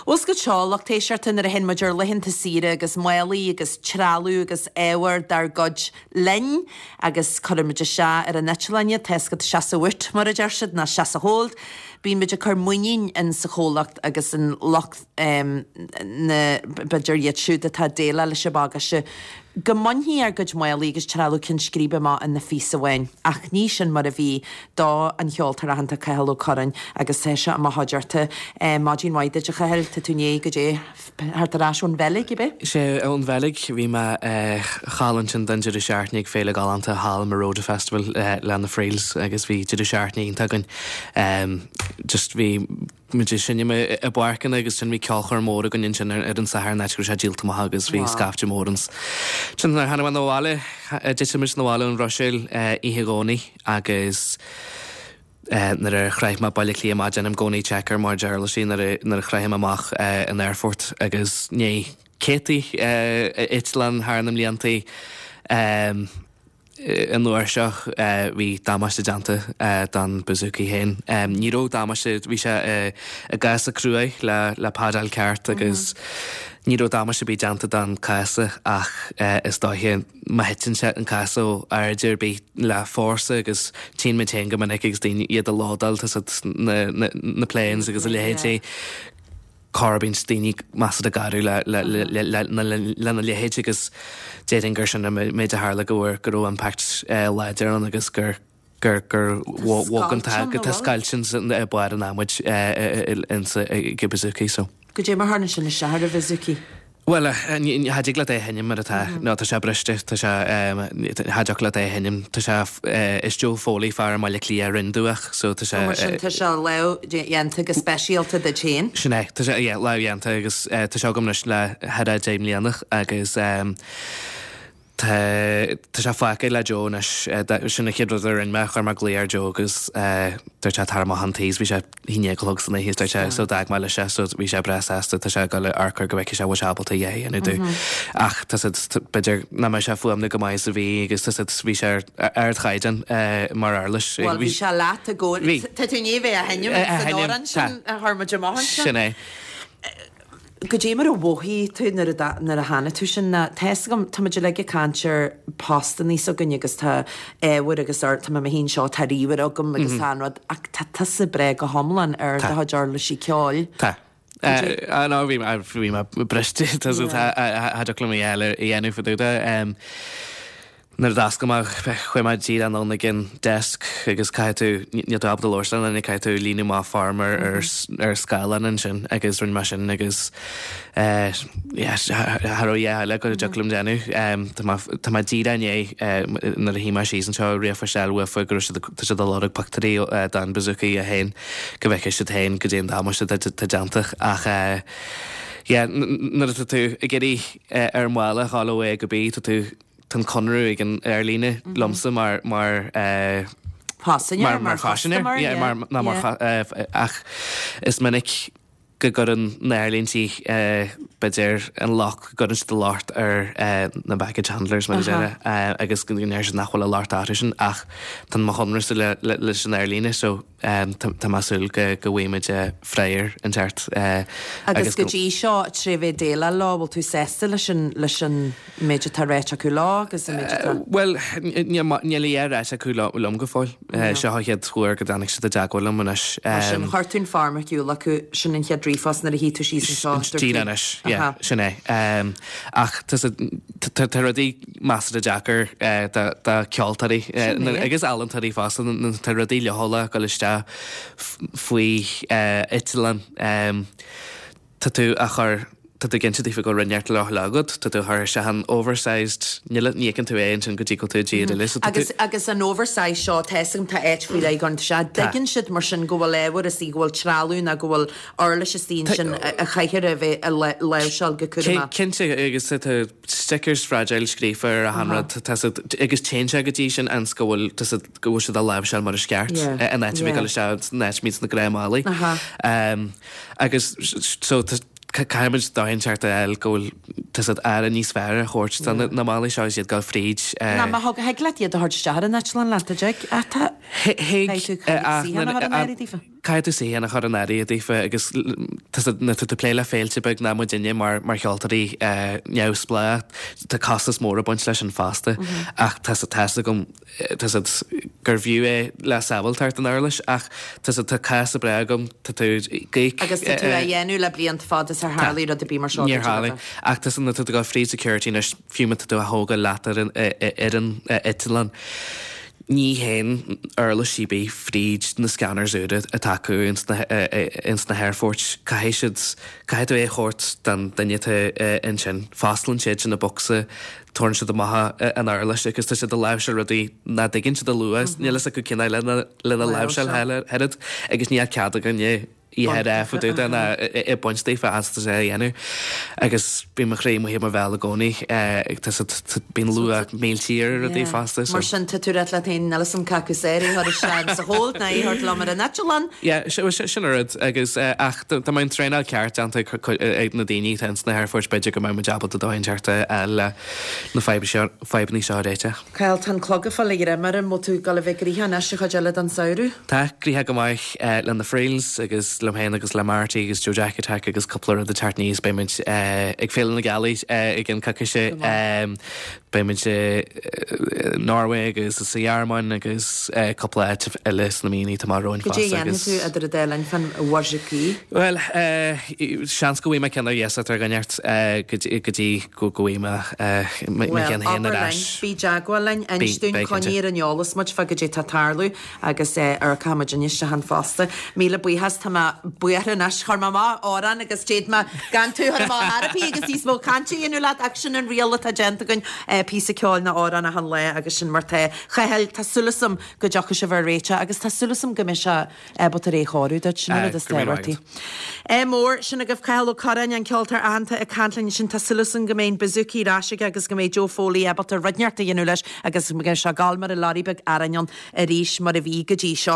Bhuel is go seo, lucht éisteachta nuair a théann muid ar laethanta saoire agus málaí agus trealamh agus ábhar dár gcuid linn agus cuireann muid isteach ar an eitleán iad, tá a fhios agat seasamh uait mar a deir siad, nó seasamh hold. Bíonn muid ag cur muinín in sa chomhlacht agus in lucht na, b'fhéidir iad siúd atá ag déileáil leis an bagáiste, go mbainfidh ár gcuid málaí agus trealamh ceann scríbe amach ina phíosa amháin. Ach ní sin mar a bhí do an cheoltóir aitheanta Cathal Ó Curráin agus tá sé i mo chuideachta. Maidin mhaith duit a Chathail, tá tú i ndiaidh goidé theacht ar ais ón Bheilg, ab ea? Sea, ón Bheilg. Bhí mé thall ansin don deireadh seachtaine ag féile galánta thall, Marauder Festival le na Friels agus bhí deireadh seachtaine iontach againn. Just bhí muid ag seinm i bpáirceanna agus ansin bhí ceolchoirm mór againn ansin ar an Satharn áit go raibh sé díolta amach agus bhí scaifte mór ann. Ansin nuair a tháinig mé 'na bhaile, d'eitil muid 'na bhaile ón Bhruiséil oíche Dhomhnaigh agus nuair a shroich mé Baile Átha Cliath amach déanaim i gcónaí check ar mo chuid uirlisí nuair a shroichim amach an aerfort agus i ndiaidh céadtaí eitleán thar na mbliantaí. An uair seo bhí damáiste déanta don bouzouki féin. Ní raibh damáiste, bhí sé i gcása cruaidh le padáil ceart agus ní raibh damáiste ar bith déanta don cása ach is dóiche má thiteann sé an cása ó airde ar bith le fórsa agus tchíonn muid féin go minic agus daoine iad a lódáil tá a fhios agat na planes agus a leithéidí. corr bíonn daoine measartha garbh lena leithéid agus déarfainn gur sin an méid a tharla go bhfuair go raibh impact láidir ann agus gur gur gur bhog an t-adhmad go tá scoilt i barr an adhmaid insa ag an bouzouki so. Goidé mar tharla sin isteach ar an bhouzouki? Bhuel, cha dtig leat é a sheinm mar atá. Nó tá sé briste, tá sé, cha dtiocfadh leat é a sheinm. Tá sé, is Joe Foley, fear i mBaile Átha Cliath a rinne domh é, so tá sé. Ó, mar sin tá sé lámhdhéanta go speisialta duit féin. Sin é, tá sé, yeah, lámhdhéanta agus tá sé agam anois le thar a 10 mbliana agus Tá tá sé fágtha le Joe anois. Sin an chéad rud a rinne mé, chuir mé glao ar Joe agus dúirt sé tar amach chun tí is bhí sé a haon déag a chlog san oíche is dúirt sé so d'fhág mé leis é so bhí sé breá sásta tá sé ag dul a amharc air go bhfeicfidh sé an bhfuil sé ábalta a dhath a dhéanamh domh. Ach tá siad b'fhéidir nach mbeidh sé fuaimniú go maith is a bhí agus tá siad bhí sé ar ardchaighdeán mar uirlis. Bhuel bhí sé leat i gcónaí. Tá tú i ndiaidh bheith á sheinm san amhrán sin a chuir muid amach ansin. Sin é. Goidé mar a mhothaigh tú nuair a nuair a chonaic tú sin? Tá fhios agam, tá muid uilig ag caint ar postannaí s'againne agus tá ábhar agus ar, tá mé mo shuí anseo, tá ríomhaire agam agus tá an rud, ach tá tusa breá go hiomlán ar do chuid uirlisí ceoil. Tá. Ah no, bhí mé, bhí mé briste, tá cha dtiocfadh liom a dhath eile a dhéanamh fá dtaobh de. Nuair a d'oscail mé, chuaigh mé díreach anonn ag an desk agus caithfidh tú, níl tú ábalta labhairt le duine, caithfidh tú líonadh amach form ar ar scáileán ansin agus rinne mé sin agus eh yeah cha raibh a dhath eile go dtiocfadh liom déanamh. Tá mé tá mé díreach i ndiaidh nuair a shuigh mé síos anseo ríomhphost a fháil uafa go raibh siad tá siad ag lorg pictiúirí den bouzouki é féin go bhfeicfidh siad féin goidé an damáiste atá déanta ach eh yeah nuair atá tú ag iarraidh ar an mhála a ghabháil ó A go B tá tú Tá an conradh ag an aerlíne liomsa mar mar Paisinéir, mar phaisinéir, yeah, mar ná mar ach is minic go gcuireann na haerlíntí b'fhéidir an locht, go gcuireann siad an locht ar na baggage handlers mar a déarfá agus go ndeir siad nach bhfuil an locht orthu sin ach tá mo chonradhsa leis an aerlíne so Tá mé ag súil go bhfaighimid freagra inteacht agus. Agus go dtí seo, tré bheith ag déileáil leo, bhfuil tú sásta leis an leis an méid atá ráite acu leo agus an méid atá. Bhuel, níl a dhath ráite acu liom go fóill. Seo an chéad uair go dtáinig siad i dteagmháil liom anois. Mar sin, chuir tú an form ar shiúl acu, sin an chéad ríomhphost nuair a shuigh tú síos anseo, dúirt tú. Díreach anois, yeah, sin é. Ach tá rudaí. measartha deacair do cheoltóirí agus ealaíontóirí fosta, tá rudaí leochaileach ag dul isteach faoi eitleán. Tá tú á chur, tá tú ag inse daofa go bhfuil rud inteacht leochaileach agat, tá tú á chur isteach in oversized, níl, ní fheiceann tú é ansin go dtí go bhfuil tú i dtír eile. So tá tú. Agus, agus an oversized seo, tá fhios agam, tá áit faoi leith ann, tá sé, dtuigeann siad mar sin go bhfuil ábhar istigh, go bhfuil trealamh nó go bhfuil uirlis istigh ansin a chaithfear a bheith a láimhseáil go cúramach. Cinnte, agus tá tú. stickers fragile scríofa ar achan rud, tá siad, agus téann sé go dtí sin ionas go bhfuil, tá siad, go bhfuil siad á láimhseáil mar is ceart, in áit a bheith ag dul isteach san áit a mbíonn na gnáthmhálaí. Agus so tá, caithfimid dóigh inteacht a fháil go bhfuil, tá siad aire níos fearr a thabhairt do na málaí seo agus iad ag dul fríd. Ná má thug, thig leat iad a thabhairt isteach ar an eitleán leat, a dtig? Ach tá, Thig, beidh tú ag ach saothar a chur in áirithe daofa. Caithfidh tú suíochán a chur in áirithe daofa agus nuair atá tú ag plé le féilte beag ná muidinne mar mar cheoltóirí neamhspleách tá costas mór ag baint leis sin fosta ach tá tá's agam tá siad gurbh fhiú é le sábháilteacht an uirlis ach tá siad tá cás breá agam tá tú gaoth Agus tá tú á dhéanamh le blianta fada is ar tharlaigh rud ar bith mar seo Níor tharlaigh ach tá nuair atá tú ag dul fríd security anois fiú má tá tú á thógáil leat ar an ar an eitleán. Ní théann uirlis ar bith fríd na scanners úra atá acu ins na ins na haerfoirt. Caithfidh siad, caithfidh tú é a thabhairt don duine atá ansin. Fosclaíonn siad sin an bocsa, tabharann siad amach an uirlis agus tá siad ag láimhseáil rudaí nach dtuigeann siad a lua. Níl fhios acu cén fáth lena lena láimhseáil oiread agus níl cead againne í a rá fá dtaobh de ná ag baint daofa as tá sé a dhéanamh. Agus bíonn mo chroí amuigh i mo bhéal i gcónaí tá siad bíonn luach míltí ar rudaí fosta so. Mar sin tá tú ag rá leat féin níl fhios a'm cé acu is fearr é a chur isteach sa hold ná é a thabhairt liom ar an eitleán. Yeah, sin an rud agus ach dá mbeadh an traenáil ceart déanta ag na daoine atá ins na haerfoirt b'fhéidir go mbeadh muid ábalta dóthain teacht a fháil le na fadhbanna seo a réiteach. Cathal, tá an clog ag fáil a ghreim orm, bhfuil tú ag dul a bheith gnoitheach anois an chuid eile den samhradh? Tá, gnoitheach go maith le na Friels agus liom féin agus le Marty agus Joe Jack Attack agus cúpla rud ag teacht aníos. Beidh muid ag Féile na Gealaí i gceann coicíse. Beidh muid i Norway agus sa Ghearmáin agus cúpla áit eile sna míonna atá amach romhainn fosta. Goidé a dhéanfaidh tú idir an dá linn fán mhuisicí? Bhuel, seans go bhfaighidh mé ceann ar iasacht ar dhuine inteacht go dtí go bhfaighidh mé mo cheann féin ar ais. Bhuel, abair linn, bí i dteagmháil linn, inis dúinn, coinnigh ar an eolas muid fá goidé tá ag tarlú agus amharcfaidh muid isteach ann fosta. Míle buíochas, tá mé buartha anois, chuir mé amach amhrán agus d'fhéad mé gan tú a chur amach ar bith agus níos mó cainte a dhéanamh leat ach sin an riail atá déanta againn, píosa ceoil nó amhrán achan lá agus sin mar tá. Chathail, tá súil agam go dtiocfaidh sibh ar réiteach agus tá súil agam go mbeidh sé ábalta ar é a chóiriú duit, sin an rud is tábhachtaí. Ádh mór, sin agaibh Cathal Ó Curráin, an ceoltóir aitheanta ag caint linn ansin. Tá súil agam go mbeidh an bouzouki ar ais aige agus go mbeidh Joe Foley ábalta rud inteacht a dhéanamh leis agus go mbeidh sé ag gabháil mar an leoraí beag aráin ann arís mar a bhí go dtí seo.